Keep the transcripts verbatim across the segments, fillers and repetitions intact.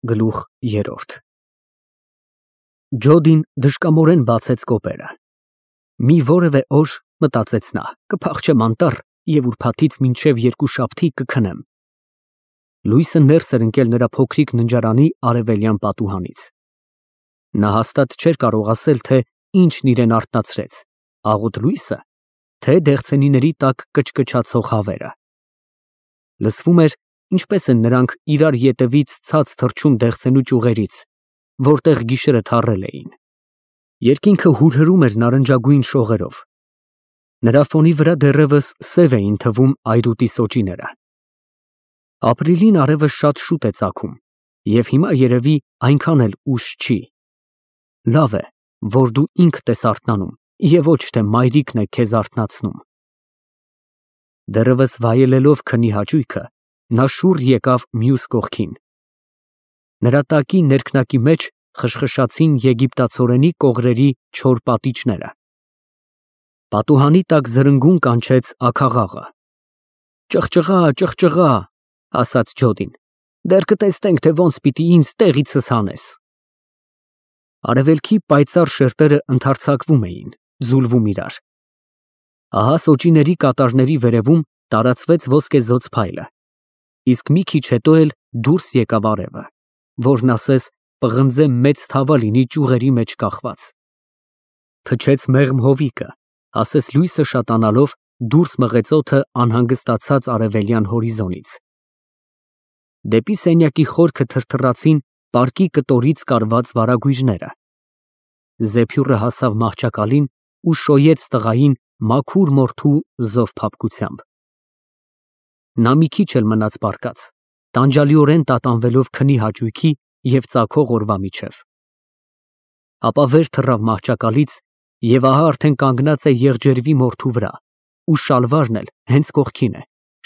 Գլուխ երրորդ Ջոդին դժկամորեն բացեց կոպերը։ Մի որևէ օր, մտածեց նա, կփախչեմ անտառ և ուրբաթից մինչև երկուշաբթի կքնեմ։ Լույսը ներս էր ընկել նրա փոքրիկ ննջարանի արևելյան պատուհանից։ Նա հաստատ չէր կարող ասել, թե ինչն իրան արթնացրեց, աղոտ լույսը, թե դեղցենիների տակ կչկչացող հավերը։ Լսվում էր, ինչպես են նրանք իրար ետևից ցած թռչում դեղցենու ճյուղերից, որտեղ գիշերը թառել էին։ Երկինքը հուրհրում էր նարնջագույն շողերով։ Նրա ֆոնի վրա դեռևս սև էին թվում այրուտի սոճիները։ Ապրիլին արևը շատ շուտ է ծագում, և հիմա երևի այնքան էլ ուշ չի։ Լավ է, որ դու ինքդ ես արթնանում, և ոչ թե մայրիկն է քեզ արթնացնում։ Դեռևս վայելելով քնի հաճույքը, նա շուռ եկավ մյուս կողքին։ Նրա տակի ներքնակի մեջ խշխշացին եգիպտացորենի կողրերի չոր պատիճները։ Պատուհանի տակ զրնգուն կանչեց աքաղաղը։ Ճղճղա, ճղճղա, ասաց Ջոդին, դեռ կտեսնենք, թե ոնց պիտի ինձ տեղիցս հանես։ Արևելքի պայծառ շերտերը ընդարձակվում էին, ձուլվում իրար։ Ահա սոճիների կատարների վերևում տարածվեց ոսկեզօծ փայլը, իսկ մի քիչ հետո էլ դուրս եկավ արևը, որն ասես պղնձե մեծ թավա լինի ճյուղերի մեջ կախված։ Փչեց մեղմ հովիկը, ասես լույսը շատանալով դուրս մղեց օդը անհանգստացած արևելյան հորիզոնից։ Դեպի սենյակի խորքը թրթռացին պարկի կտորից կարված վարագույրները։ Զեփյուռը հասավ մահճակալին ու շոյեց տղային մաքուր մորթու զով փափկությամբ։ Նա մի քիչ էլ մնաց պառկած, տանջալիորեն տատանվելով քնի հաճույքի և ծագող օրվա միջև։ Ապա վեր թռավ մահճակալից և ահա արդեն կանգնած է եղջերվի մորթու վրա, ու շալվարն էլ հենց կողքին է,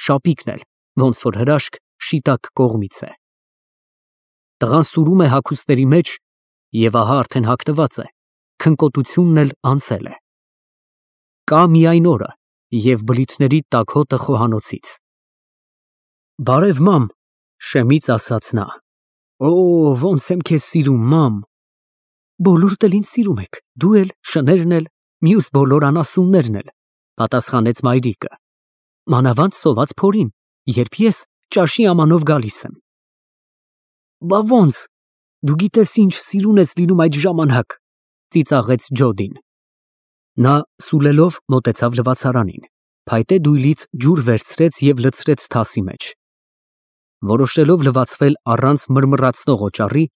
շապիկն էլ, ոնց որ հրաշք, շիտակ կողմից է։ Տղան սուրում է հագուստների մեջ և ահա արդեն հագնված է, քնկոտությունն էլ անցել է։ Կա միայն օրը և բլիթների տաք հոտը խոհանոցից։ Բարև, մամ, շեմից ասաց նա։ Օ, ոնց եմ քեզ սիրում, մամ։ Բոլորդ էլ ինձ սիրում եք, դու էլ, շներն էլ, մյուս բոլոր անասուններն էլ, պատասխանեց մայրիկը։ Մանավանդ սոված փորին, երբ ես ճաշի ամանով գալիս եմ։ Բա ոնց, դու գիտես ինչ սիրուն ես լինում այդ ժամանակ, ծիծաղեց Ջոդին։ Նա սուլելով մոտեցավ լվացարանին, փայտե դույլից ջուր վերցրեց և լցրեց թասի մեջ։ Որոշելով լվացվել առանց մռմռացնող օճառի,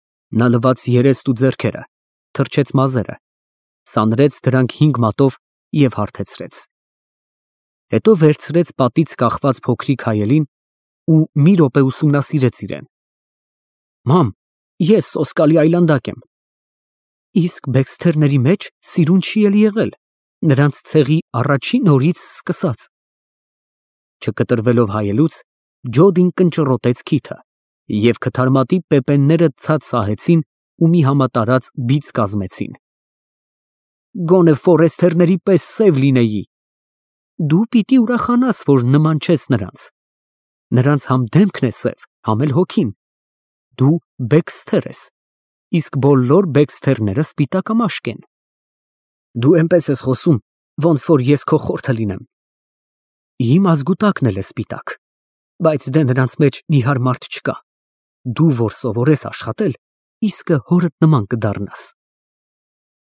նա լվաց երեստ ու ձեռքերը, թրջեց մազերը, սանրեց դրանք հինգ մատով և հարթեցրեց։ Հետո վերցրեց պատից կախված փոքրիկ հայելին ու մի րոպե ուսումնասիրեց իրեն։ Մամ, ես սոսկալի այլանդակ եմ։ Իսկ Բեքսթերների մեջ սիրուն չի էլ եղել, նրանց ցեղի առաջին օրից սկսած։ Չկտրվելով հայելուց, Ջոդին կնճռոտեց քիթը, և քթարմատի պեպենները ցած սահեցին ու մի համատարած բիծ կազմեցին։ Գոնե Ֆորեսթերների պես սև լինեի։ Դու պիտի ուրախանաս, որ նման չես նրանց։ Նրանց համ դեմքն է սև, համ էլ հոգին։ Դու Բեքսթեր ես, իսկ բոլոր Բեքսթերները սպիտակամաշկ են։ Դու էնպես ես խոսում, ոնց որ ես քո խորթը լինեմ։ Իմ ազգուտակն էլ է սպիտակ, բայց դե նրանց մեջ նիհար մարդ չկա։ Դու որ սովորես աշխատել, իսկը հորդ նման կդառնաս։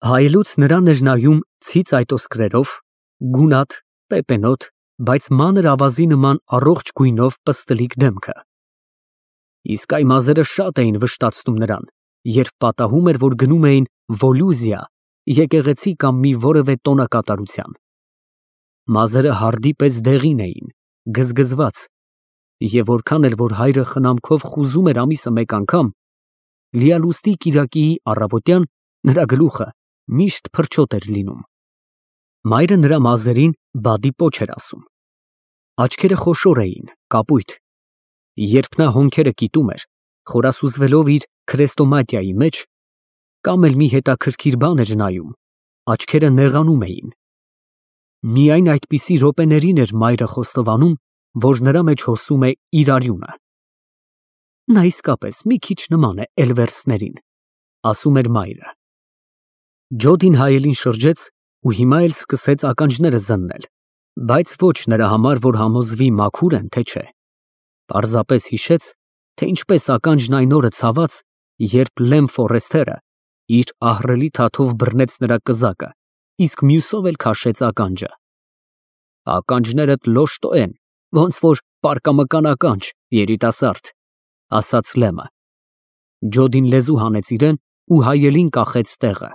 Հայելուց նրան էր նայում ցից այտոսկրերով, գունատ, պեպենոտ, բայց մանր ավազի նման առողջ գույնով պստլիկ դեմքը։ Իսկ այ մազերը շատ էին վշտացնում նրան, երբ պատահում էր, որ գնում էին Վոլուզիա, եկեղեցի կամ մի որևէ տոնակատարության։ Մազերը հարդի պես դեղին էին, գզգզված, և որքան էլ որ հայրը խնամքով խուզում էր ամիսը մեկ անգամ, լիալուստի կիրակիի առավոտյան նրա գլուխը միշտ փրչոտ էր լինում։ Մայրը նրա մազերին բադի պոչ էր ասում։ Աչքերը խոշոր էին, կապույտ։ Երբ նա հոնքերը կիտում էր, խորասուզվելով իր քրեստոմատիայի մեջ, կամ էլ մի հետաքրքիր բան էր նայում, աչքերը նեղանում էին։ Միայն այդպիսի րոպեներին էր մայրը խոստովանում, որ նրա մեջ հոսում է իր արյունը։ Նա իսկապես մի քիչ նման է Էլվերսներին, ասում էր մայրը։ Ջոդին հայելին շրջեց ու հիմա էլ սկսեց ականջները զննել, բայց ոչ նրա համար, որ համոզվի մաքուր են, թե չէ։ Պարզապես հիշեց, թե ինչպես ականջն այն օրը ցաված, երբ Լեմ Ֆորեսթերը իր ահռելի թաթով բռնեց նրա կզակը, իսկ մյուսով էլ քաշեց ականջը։ Ականջներդ լոշտո են, ոնց որ պարկամկան ականջ, երիտասարդ, ասաց Լեմը։ Ջոդին լեզու հանեց իրեն ու հայելին կախեց տեղը։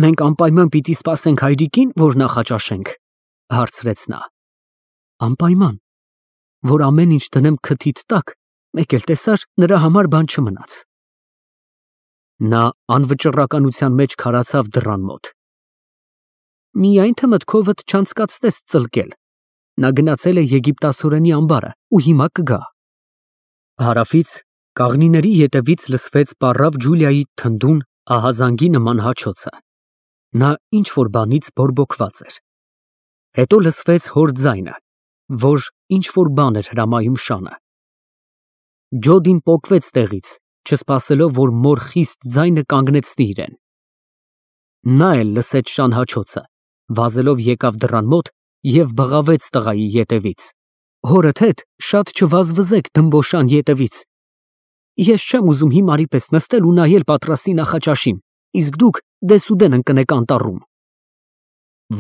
Մենք անպայման պիտի սպասենք հայրիկին, որ նախաճաշենք, հարցրեց նա։ Անպայման, որ ամեն ինչ դնեմ քթիդ տակ, մեկ էլ տեսար, նրա համար բան չմնաց։ Նա անվճռականության մեջ քարացավ դռան մոտ։ Միայն թե մտքովդ չանցկացնես ծլկել։ Նա գնացել է եգիպտացորենի ամբարը ու հիմա կգա։ Հարավից կաղնիների ետևից լսվեց պառավ Ջուլիայի թնդուն ահազանգի նման հաչոցը։ Նա ինչ որ բանից բորբոքված էր։ Հետո լսվեց հոր ձայնը, որ ինչ որ բան էր հրամայում շանը։ Ջոդին պոկվեց տեղից, չսպասելով, որ մոր խիստ ձայնը կանգնեցնի իրեն։ Նա էլ լսեց շան հաչոցը, վազելով եկավ դռան մոտ և բղավեց տղայի ետևից։ Հորդ հետ շատ չվազվզեք դմբոշան ետևից։ Ես չեմ ուզում հիմարի պես նստել ու նայել պատրաստի նախաճաշին, իսկ դուք դեսուդեն ընկնեք անտառում։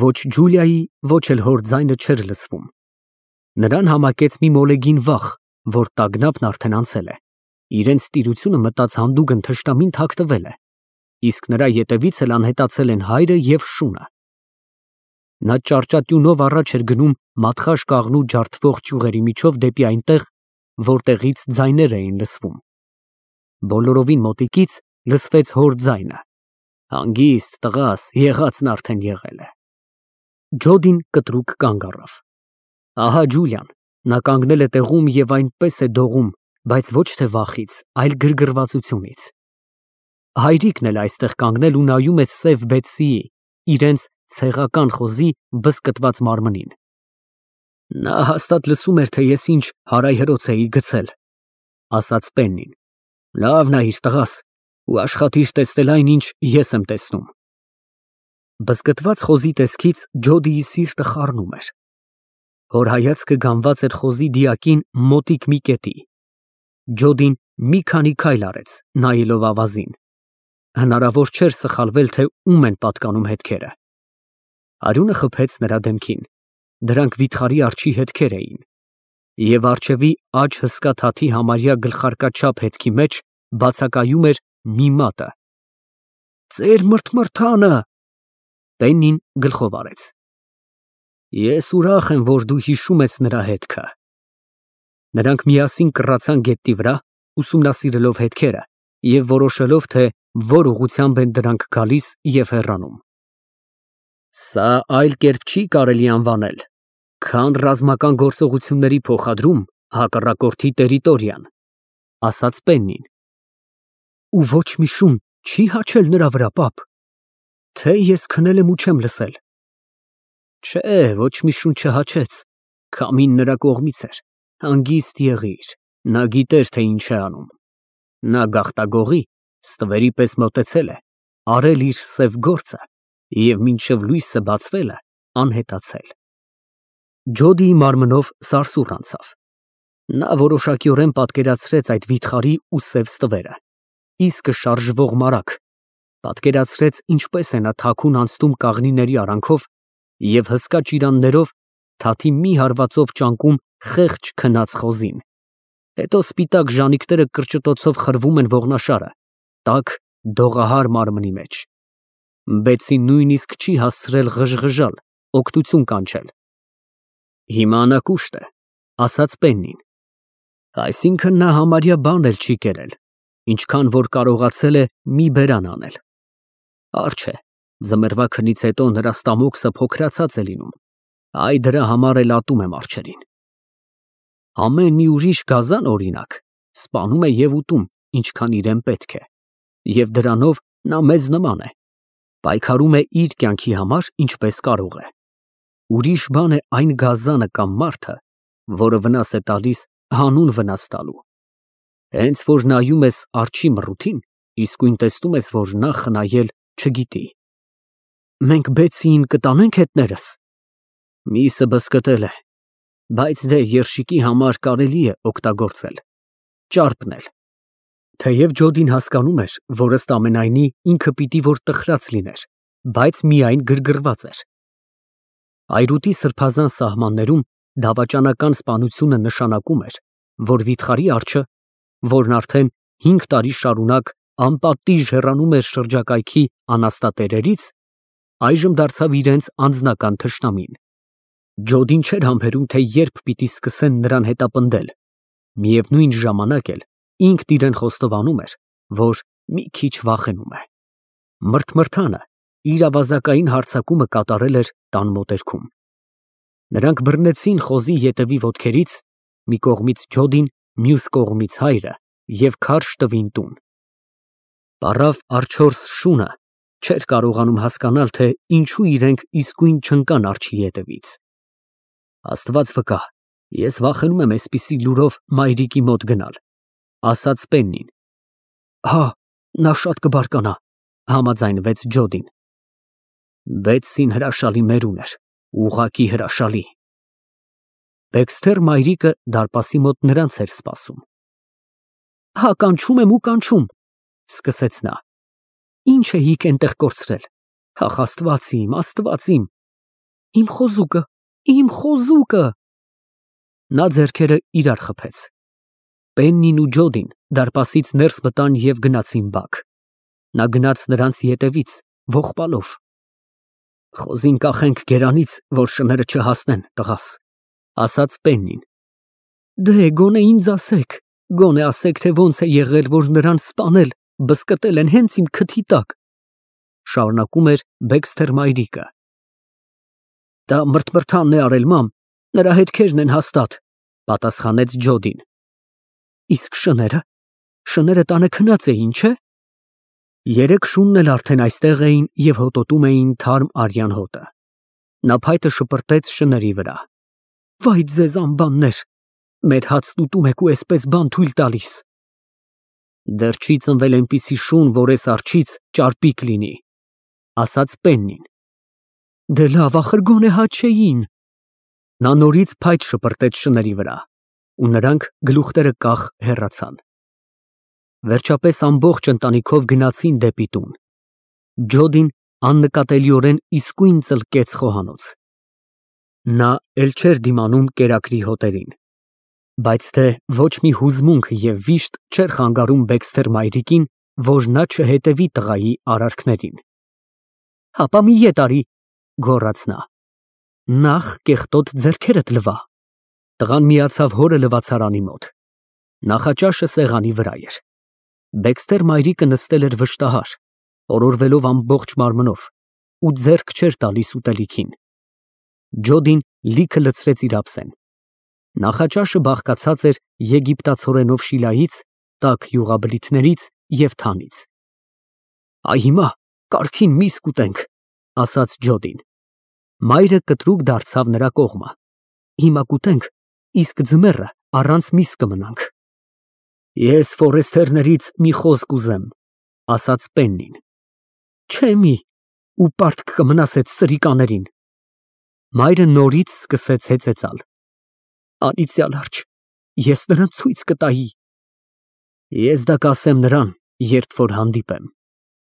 Ոչ Ջուլիայի, ոչ էլ հոր ձայնը չէր լսվում։ Նրան համակեց մի մոլեգին վախ, որ տագնապն արդեն անցել է։ Իրենց տիրությունը մտած հանդուգն թշնամին թաքնվել է, իսկ նրա ետևից էլ անհետացել են հայրը և շունը։ Նա ճարճատյունով առաջ էր գնում մատխաշ կաղնու ջարդվող ճյուղերի միջով դեպի այնտեղ, որտեղից ձայներ էին լսվում։ Բոլորովին մոտիկից լսվեց հոր ձայնը. Հանգիստ տղաս, եղածն արդեն եղել է։ Ջոդին կտրուկ կանգ առավ։ Ահա Ջուլիան, նա կանգնել է տեղում և այնպես է դողում, բայց ոչ թե վախից, այլ գրգռվածությունից։ Հայրիկն էլ այստեղ կանգնել ու նայում է սև Բեթսիի, իրենց ցեղական խոզի բզկտված մարմնին։ Նա հաստատ լսում էր, թե ես ինչ հարայհրոց էի գցել, ասաց Պեննին։ Լավ նայիր տղաս ու աշխատիր տեսնել այն, ինչ ես եմ տեսնում։ Բզկտված խոզի տեսքից Ջոդիի սիրտը խառնում էր։ Հոր հայացքը գանված էր խոզի դիակին մոտիկ մի կետի։ Ջոդին մի քանի քայլ արեց, նայելով ավազին։ Հնարավոր չէր սխալվել, թե ում են պատկանում հետքերը։ Արյունը խփեց նրա դեմքին։ Դրանք վիթխարի արջի հետքեր էին։ Եվ առջևի աջ հսկա թաթի համարյա գլխարկաչափ հետքի մեջ բացակայում էր մի մատը։ Ձեր մրթմրթանը։ Պեննին գլխով արեց։ Ես ուրախ եմ, որ դու հիշում ես նրա հետքը։ Նրանք միասին կռացան գետնի վրա, ուսումնասիրելով հետքերը և որոշելով, թե որ ուղղությամբ են դրանք գալիս և հեռանում։ Սա այլ կերպ չի կարելի անվանել, քան ռազմական գործողությունների փոխադրում հակառակորդի տերիտորիան, ասաց Պեննին։ Ու ոչ մի շուն չի հաչել նրա վրա, պապ, թե ես քնել եմ ու չեմ լսել։ Չէ, ոչ մի շուն չհաչեց, քամին նրա կողմից էր, հանգիստ եղիր, նա գիտեր, թե ինչ է անում։ Նա գաղտագողի, ստվերի պես մոտեցել է, արել իր սև գործը և մինչև լույսը բացվելը անհետացել։ Ջոդիի մարմնով սարսուռ անցավ։ Նա որոշակիորեն պատկերացրեց այդ վիթխարի ու սև ստվերը, իսկը շարժվող մարագ, պատկերացրեց ինչպես է նա թաքուն անցնում կաղնիների արանքով և հսկա ճիրաններով թաթի մի հարվածով ճանկում խեղճ քնած խոզին։ Հետո սպիտակ ժանիքները կրճտոցով խրվում են ողնաշարը, տաք դողահար մարմնի մեջ։ Բեցին նույնիսկ չի հասցրել ղժղժալ, օգնություն կանչել։ Հիմա նա կուշտ է, ասաց Պեննին։ Այսինքն նա համարյա բան էլ չի կերել, ինչքան որ կարողացել է մի բերան անել։ Արջ է, ձմեռվա քնից հետո նրա ստամոքսը փոքրացած է լինում, այ դրա համար էլ ատում եմ արջերին։ Ամեն մի ուրիշ գազան, օրինակ, սպանում է և ուտում, ինչքան իրեն պետք է, և դրանով նա մեզ նման է, պայքարում է իր կյանքի համար, ինչպես կարող է։ Ուրիշ բան է այն գազանը կամ մարդը, որը վնաս է տալիս հանուն վնաս տալու։ Հենց որ նայում ես արջի մռութին, իսկույն տեսնում ես, որ նա խնայել չգիտի։ Մենք Բեցիին կտանե՞նք հետներս։ Միսը բզկտել է, բայց դե երշիկի համար կարելի է օգտագործել, ճարպնել։ Թեև Ջոդին հասկանում էր, որ ըստ ամենայնի ինքը պիտի որ տխրած լիներ, բայց միայն գրգռված էր։ Այրուտի սրբազան սահմաններում դավաճանական սպանությունը նշանակում էր, որ վիթխարի արջը, որն արդեն հինգ տարի շարունակ անպատիժ հեռանում էր շրջակայքի անաստատերերից, այժմ դարձավ իրենց անձնական թշնամին։ Ջոդին չէր համբերում, թե երբ պիտի սկսեն նրան հետապնդել, միևնույն ժամանակ էլ ինքն իրեն խոստովանում էր, որ մի քիչ վախենում է։ Մրթմրթանը իր ավազակային հարձակումը կատարել էր տան մոտերքում։ Նրանք բռնեցին խոզի ետևի ոտքերից, մի կողմից Ջոդին, մյուս կողմից հայրը, և քարշ տվին տուն։ Պառավ արջորս շունը չէր կարողանում հասկանալ, թե ինչու իրենք իսկույն չընկան արջի ետևից։ Աստված վկա, ես վախենում եմ էսպիսի լուրով մայրիկի մոտ գնալ, ասաց Պեննին։ Հա, նա շատ կբարկանա, համաձայնվեց Ջոդին։ Բետսին հրաշալի մերուն էր, ուղղակի հրաշալի։ Բեքսթեր մայրիկը դարպասի մոտ նրանց էր սպասում։ Հա, կանչում եմ ու կանչում, սկսեց նա։ Ինչ էիք այնտեղ կորցրել։ Ախ, Աստված իմ, Աստված իմ։ Իմ խոզուկը, իմ խոզուկը։ Նա ձեռքերը իրար խփեց։ Պեննին ու Ջոդին դարպասից ներս մտան և գնացին բակ։ Նա գնաց նրանց ետևից, ողբալով։ Խոզին կախենք գերանից, որ շները չհասնեն, տղաս, ասաց Պեննին։ Դե գոնե ինձ ասեք, գոնե ասեք, թե ոնց է եղել, որ նրան սպանել, բզկտել են հենց իմ քթի տակ, շարունակում էր Բեքսթեր մայրիկը։ Դա մրթմրթանն է արել, մամ, նրա հետքերն են հաստատ, պատասխանեց Ջոդին։ Իսկ շները, շները տանը քնած էին, չէ՞։ Երեք շունն էլ արդեն այստեղ էին և հոտոտում էին թարմ արյան հոտը։ Նա փայտը շպրտեց շների վրա։ Վայ ձեզ անբաններ, մեր հացն ուտում եք ու էսպես բան թույլ տալիս։ Դեռ չի ծնվել այնպիսի շուն, որ էս արջից ճարպիկ լինի, ասաց Պեննին։ Դե լավ, ախր գոնե հա չէին։ Նա նորից փայտ շպրտեց շների վրա, ու նրանք գլուխները կախ հեռացան։ Վերջապես ամբողջ ընտանիքով գնացին դեպի տուն։ Ջոդին աննկատելիորեն իսկույն ծլկեց խոհանոց։ Նա էլ չէր դիմանում կերակրի հոտերին, բայց թե ոչ մի հուզմունք և վիշտ չէր խանգարում Բեքսթեր մայրիկին, որ նա չհետևի տղայի արարքներին։ Հապա մի ետ արի, գոռաց նա։ Նախ կեղտոտ ձեռքերդ լվա։ Տղան միացավ հորը լվացարանի մոտ։ Նախաճաշը սեղանի վրա էր։ Բեքսթեր մայրիկը նստել էր վշտահար, օրորվելով ամբողջ մարմնով, ու ձեռք չէր տալիս ուտելիքին։ Ջոդին լիքը լցրեց իր ափսեն։ Նախաճաշը բաղկացած էր եգիպտացորենով շիլայից, տաք յուղաբլիթներից և թանից։ Այ հիմա կարգին միս կուտենք, ասաց Ջոդին։ Մայրը կտրուկ դարձավ նրա կողմը։ Հիմա կուտենք, իսկ ձմեռը առանց միս կմնանք։ Ես ֆորեստերներից մի խոսք ուզեմ, ասաց Պեննին։ Չէ մի, ու պարտք կմնաս այդ սրիկաներին։ Մայրը նորից սկսեց հեծեծալ։ Անիծյալ արջ, ես նրան ցույց կտայի։ Ես դա կասեմ նրան, երբ որ հանդիպեմ,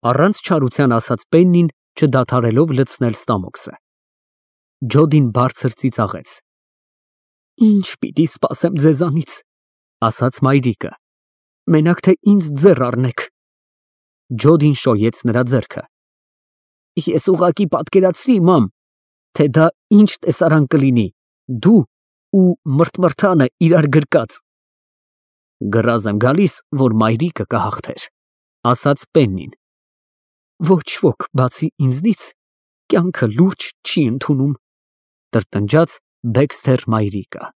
առանց չարության ասաց Պեննին, չդադարելով լցնել ստամոքսը։ Ջոդին բարձր ծիծաղեց։ Ինչ պիտի սպասեմ ձեզանից, ասաց մայրիկը։ Մենակ թե ինձ ձեռ առնեք։ Ջոդին շոյեց նրա ձեռքը։ Ես ուղղակի պատկերացրի, մամ, թե դա ինչ տեսարան կլինի, դու ու մրթմրթանը իրար գրկած։ Գրազ եմ գալիս, որ մայրիկը կհաղթեր, ասաց Պեննին։ Ոչ ոք բացի ինձնից կյանքը լուրջ չի ընդունում, տրտնջաց Բեքսթեր մայրիկը։